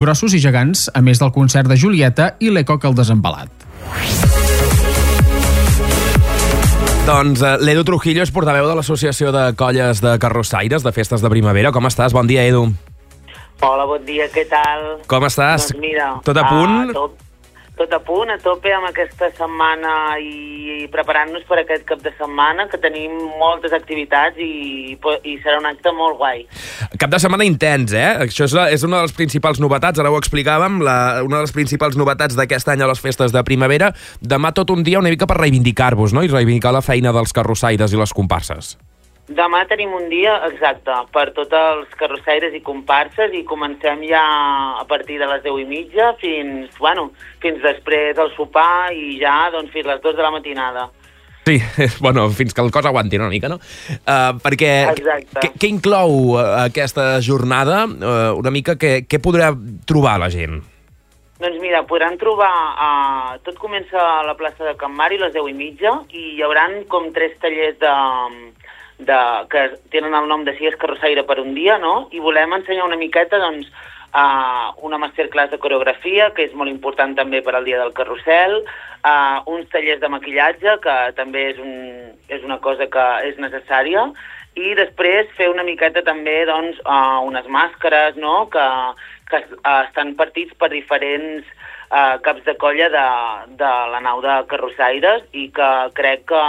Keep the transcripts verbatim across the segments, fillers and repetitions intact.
grossos i gegants, a més del concert de Julieta i l'Ecoc al desembalat. Doncs uh, l'Edu Trujillo és portaveu de l'Associació de Colles de Carrossaires de Festes de Primavera. Com estàs? Bon dia, Edu. Hola, bon dia, què tal? Com estàs? Doncs mira, tot a punt? Uh, tot, tot a punt, a tope amb aquesta setmana i, i preparant-nos per aquest cap de setmana, que tenim moltes activitats i, i serà un acte molt guai. Cap de setmana intens, eh? Això és, la, és una de les principals novetats, ara ho explicàvem, la, una de les principals novetats d'aquest any a les Festes de Primavera. Demà tot un dia una mica per reivindicar-vos, no? I reivindicar la feina dels carrossaires i les comparses. Demà tenim un dia, exacte, per tots els carrossaires i comparses i comencem ja a partir de les deu i mitja fins, bueno, fins després del sopar i ja doncs, fins les dues de la matinada. Sí, bueno, fins que el cos aguanti una mica, no? Uh, perquè què, què inclou uh, aquesta jornada? Uh, una mica què, què podrà trobar la gent? Doncs mira, podran trobar... Uh, tot comença a la plaça de Can Mari a les deu i mitja i hi haurà com tres tallers de... De, que tenen el nom de Si és carrossaire per un dia, no? I volem ensenyar una miqueta, doncs, uh, una masterclass de coreografia, que és molt important també per al dia del carrusel, uh, uns tallers de maquillatge, que també és, un, és una cosa que és necessària, i després fer una miqueta també, doncs, uh, unes màscares, no?, que, que uh, estan partits per diferents uh, caps de colla de, de la nau de carrossaires i que crec que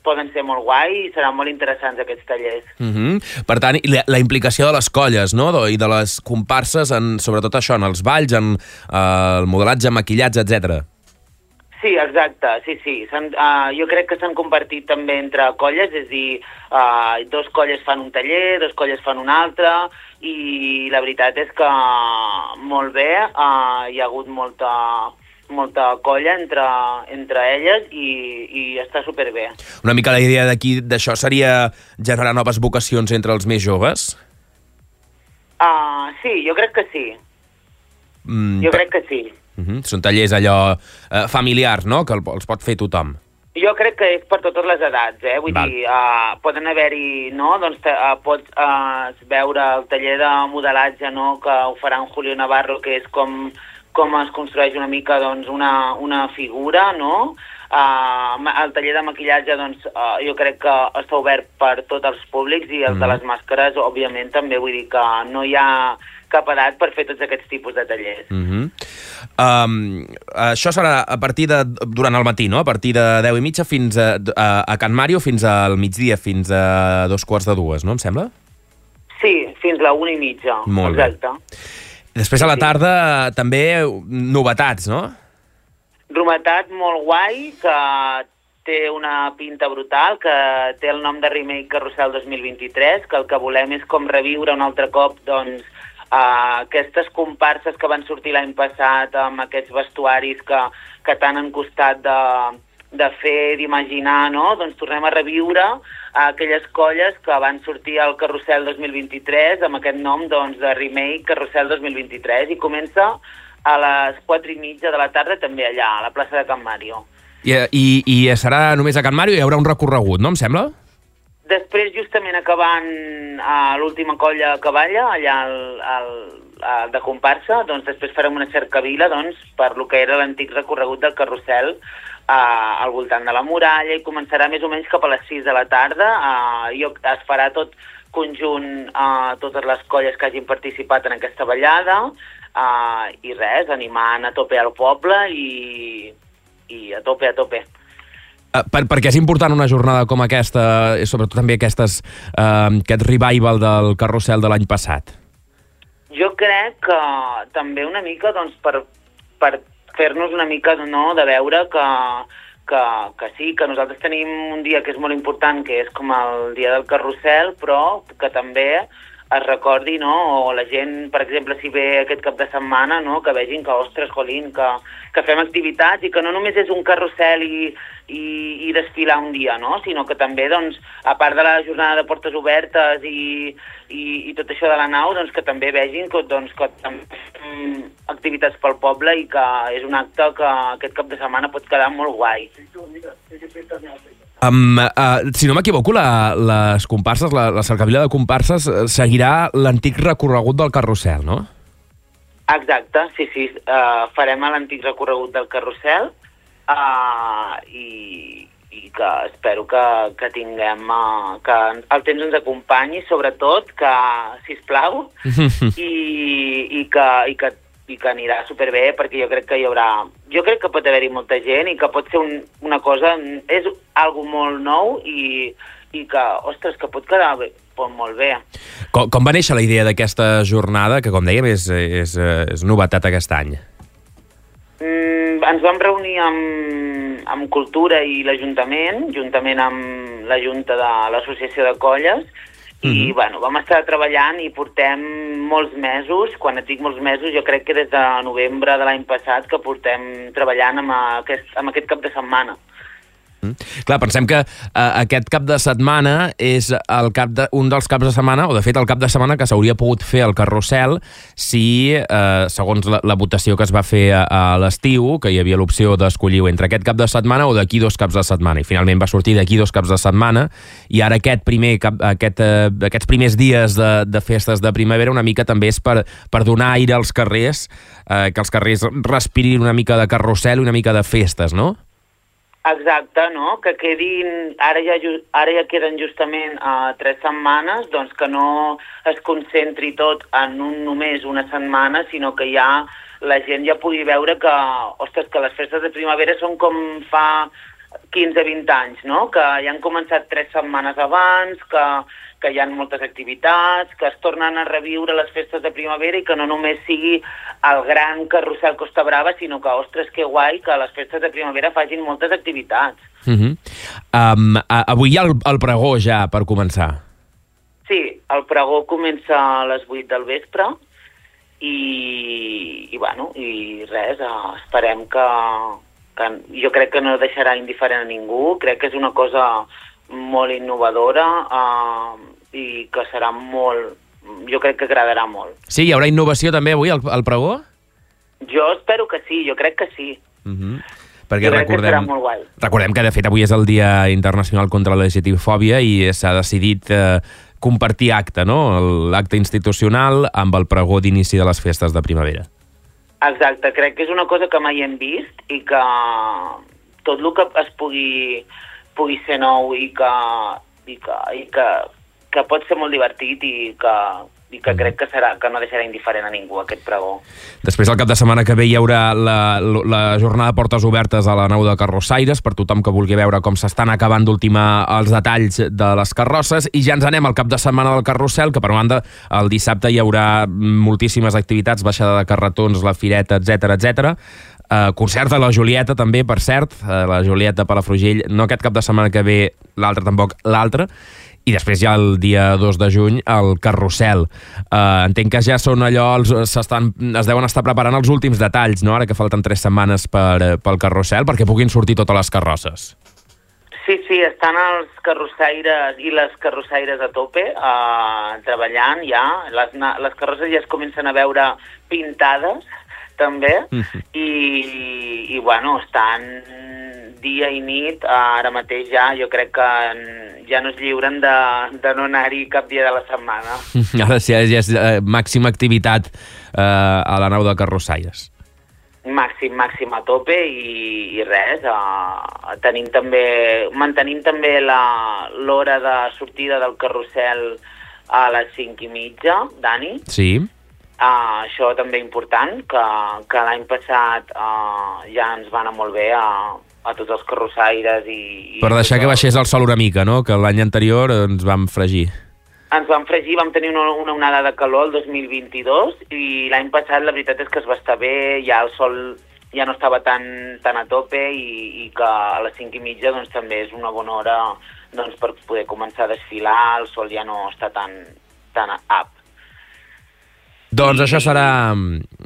poden ser molt guai i seran molt interessants aquests tallers. Uh-huh. Per tant, la, la implicació de les colles, no?, i de les comparses, en, sobretot això, en els balls, en uh, el modelatge, maquillatge, etcètera. Sí, exacte, sí, sí. Uh, jo crec que s'han compartit també entre colles, és a dir, uh, dos colles fan un taller, dos colles fan un altre, i la veritat és que molt bé, uh, hi ha hagut molta... molta colla entre, entre elles i, i està superbé. Una mica la idea d'aquí d'això seria generar noves vocacions entre els més joves? Uh, sí, jo crec que sí. Mm, jo crec que sí. Uh-huh. Són tallers allò uh, familiars, no?, que els pot fer tothom. Jo crec que és per totes les edats, eh? Vull Val. dir, uh, poden haver-hi, no?, doncs uh, pots uh, veure el taller de modelatge, no?, que ho farà en Julio Navarro, que és com com es construeix una mica doncs, una, una figura, no? Uh, el taller de maquillatge doncs, uh, jo crec que està obert per tots els públics i el mm. de les màscares, òbviament, també vull dir que no hi ha cap edat per fer tots aquests tipus de tallers. Mm-hmm. um, això serà a partir de, durant el matí, no? A partir de deu i mitja fins a, a, a Can Màrio, fins al migdia, fins a dos quarts de dues, no? Em sembla? Sí, fins a la una i mitja. Molt exacte. Bé. Després a la tarda sí. també novetats, no? Novetat molt guai, que té una pinta brutal, que té el nom de Remake Carrusel dos mil vint-i-tres, que el que volem és com reviure un altre cop doncs, uh, aquestes comparses que van sortir l'any passat amb aquests vestuaris que, que tant han costat de, de fer, d'imaginar, no? Doncs tornem a reviure aquelles colles que van sortir al Carrusel dos mil vint-i-tres amb aquest nom doncs, de Remake Carrusel dos mil vint-i-tres i comença a les quatre i mitja de la tarda també allà, a la plaça de Can Màrio. I, i, i serà només a Can Màrio i hi haurà un recorregut, no em sembla? Després, justament acabant a l'última colla que balla, allà al, al, al, de comparsa, doncs després farem una cercavila doncs, per lo que era l'antic recorregut del Carrusel Uh, al voltant de la muralla i començarà més o menys cap a les sis de la tarda. Uh, jo, es farà tot conjunt uh, totes les colles que hagin participat en aquesta ballada uh, i res, animant a tope al poble i, i a tope, a tope. Uh, per, perquè és important una jornada com aquesta, i sobretot també aquestes, uh, aquest revival del Carrusel de l'any passat? Jo crec que també una mica doncs, per, per fer-nos una mica no, de veure que, que, que sí, que nosaltres tenim un dia que és molt important, que és com el dia del Carrusel, però que també es recordi, no? O la gent, per exemple, si ve aquest cap de setmana, no? Que vegin que, ostres, jolín, que, que fem activitats i que no només és un carrusel i, i, i desfilar un dia, no? Sinó que també, doncs, a part de la jornada de portes obertes i, i, i tot això de la nau, doncs que també vegin que, doncs, que també fem activitats pel poble i que és un acte que aquest cap de setmana pot quedar molt guai. Um, uh, si no m'equivoco, la, les comparses, la, la cercavila de comparses seguirà l'antic recorregut del Carrusel, no? Exacte, sí, sí. Uh, farem l'antic recorregut del carrusel uh, i, i que espero que, que tinguem, uh, que el temps ens acompanyi, sobretot que, sisplau, i, i, que, i, que, i que anirà superbé, perquè jo crec que hi haurà... Jo crec que pot haver-hi molta gent i que pot ser un, una cosa... És algo molt nou i, i que, ostres, que pot quedar bé, pot molt bé. Com, com va néixer la idea d'aquesta jornada, que com dèiem és, és, és novetat aquest any? Mm, ens vam reunir amb, amb Cultura i l'Ajuntament, juntament amb la Junta de l'Associació de Colles, i mm-hmm. bueno, vam estar treballant i portem molts mesos, quan et dic molts mesos, jo crec que des de novembre de l'any passat que portem treballant amb aquest, amb aquest cap de setmana. Mm. Clar, pensem que uh, aquest cap de setmana és el cap de, un dels caps de setmana, o de fet el cap de setmana que s'hauria pogut fer al carrusel si, uh, segons la, la votació que es va fer a, a l'estiu, que hi havia l'opció d'escollir entre aquest cap de setmana o d'aquí dos caps de setmana, i finalment va sortir d'aquí dos caps de setmana, i ara aquest primer cap, aquest, uh, aquests primers dies de, de festes de primavera una mica també és per, per donar aire als carrers, uh, que els carrers respirin una mica de carrusel i una mica de festes, no? Exacte, no? Que quedin... Ara ja, ara ja queden justament uh, tres setmanes, doncs que no es concentri tot en un, només una setmana, sinó que ja la gent ja pugui veure que, ostres, que les festes de primavera són com fa quinze vint anys, no? Que ja han començat tres setmanes abans, que, que hi ha moltes activitats, que es tornen a reviure les festes de primavera i que no només sigui el gran carrusel Costa Brava, sinó que, ostres, que guai que les festes de primavera facin moltes activitats. Uh-huh. um, a, avui hi ha el, el pregó ja, per començar. Sí, el pregó comença a les vuit del vespre i, i bueno, i res, uh, esperem que, que... Jo crec que no deixarà indiferent a ningú, crec que és una cosa molt innovadora uh, i que serà molt... Jo crec que agradarà molt. Sí, hi haurà innovació també avui al, al pregó? Jo espero que sí, jo crec que sí. Uh-huh. Perquè jo crec recordem, que serà molt guai. Recordem que de fet avui és el Dia Internacional contra la L G T B fòbia i s'ha decidit eh, compartir acte, no? L'acte institucional amb el pregó d'inici de les festes de primavera. Exacte, crec que és una cosa que mai hem vist i que tot el que es pugui, pugui ser nou i que, i que, i que, que pot ser molt divertit i que, i que crec que, serà, que no deixarà indiferent a ningú aquest pregó. Després, el cap de setmana que ve, hi haurà la, la jornada de portes obertes a la nau de Carrossaires per tothom que vulgui veure com s'estan acabant d'ultimar els detalls de les carrosses, i ja ens anem al cap de setmana del carrusel, que per banda el dissabte hi haurà moltíssimes activitats, baixada de carretons, la fireta, etcètera, etcètera. Uh, concert de la Julieta també, per cert, uh, la Julieta Palafrugell, no aquest cap de setmana que ve, l'altre tampoc, l'altre. I després ja el dia dos de juny el carrusel. Uh, entenc que ja són allò, els, s'estan, es deuen estar preparant els últims detalls, no? Ara que falten tres setmanes per, pel carrusel, perquè puguin sortir totes les carrosses. Sí, sí, estan els carrossaires i les carrossaires a tope uh, treballant ja. Les, les carrosses ja es comencen a veure pintades, també, mm-hmm. i, i bueno, estan dia i nit, ara mateix ja, jo crec que ja no es lliuren de, de no anar-hi cap dia de la setmana. Ara sí, ja és eh, màxima activitat eh, a la nau de Carrossaires. Màxim, màxim a tope i, i res, eh, tenim també, mantenim també l'hora de sortida del carrusel a les cinc i mitja, Dani. Sí. Uh, això també important, que, que l'any passat uh, ja ens va anar molt bé a, a tots els carrossaires i... i per deixar tot... que baixés el sol una mica, no? Que l'any anterior ens vam fregir. Ens vam fregir, vam tenir una, una onada de calor el dos mil vint-i-dos i l'any passat la veritat és que es va estar bé, ja el sol ja no estava tan, tan a tope i, i que a les cinc i mitja doncs, també és una bona hora doncs, per poder començar a desfilar, el sol ja no està tan, tan up. Doncs això serà,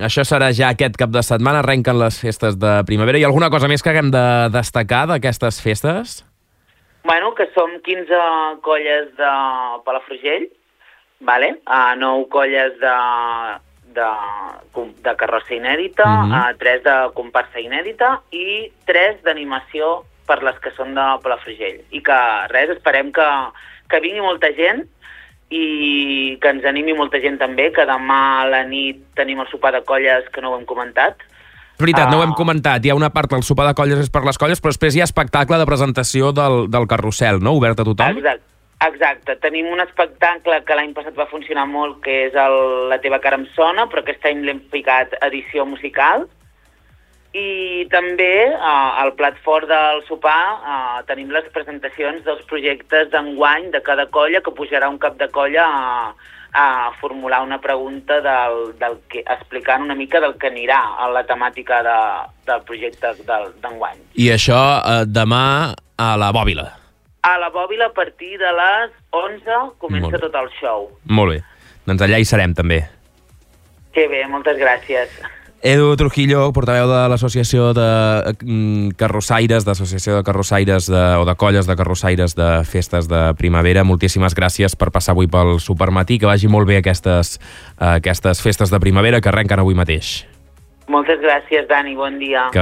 això serà ja aquest cap de setmana, arrenquen les festes de primavera. Hi ha alguna cosa més que haguem de destacar d'aquestes festes? Bueno, que som quinze colles de Palafrugell, vale? uh, nou colles de, de, de carrossa inèdita, mm-hmm. uh, tres de comparsa inèdita i tres d'animació per les que són de Palafrugell. I que res, esperem que, que vingui molta gent i que ens animi molta gent també, que demà a la nit tenim el sopar de colles, que no ho hem comentat. És veritat, no ho hem Uh, comentat. Hi ha una part del sopar de colles és per les colles, però després hi ha espectacle de presentació del, del carrusel, no? Obert a tothom? Exacte. Exacte, tenim un espectacle que l'any passat va funcionar molt, que és el La teva cara em sona, però aquest any l'hem ficat edició musical. I també eh, al plat fort del sopar eh, tenim les presentacions dels projectes d'enguany de cada colla, que pujarà un cap de colla a, a formular una pregunta del, del que, explicant una mica del que anirà a la temàtica de, del projecte del, d'enguany. I això eh, demà a la Bòbila. A la Bòbila, a partir de les onze, comença Molt bé. tot el show. Molt bé. Doncs allà hi serem, també. Que bé, moltes gràcies. Edu Trujillo, portaveu de l'Associació de mm, Carrossaires, d'Associació de Carrossaires de, o de Colles de Carrossaires de Festes de Primavera, moltíssimes gràcies per passar avui pel Supermatí, que vagi molt bé aquestes, uh, aquestes festes de primavera que arrenquen avui mateix. Moltes gràcies, Dani, bon dia. Que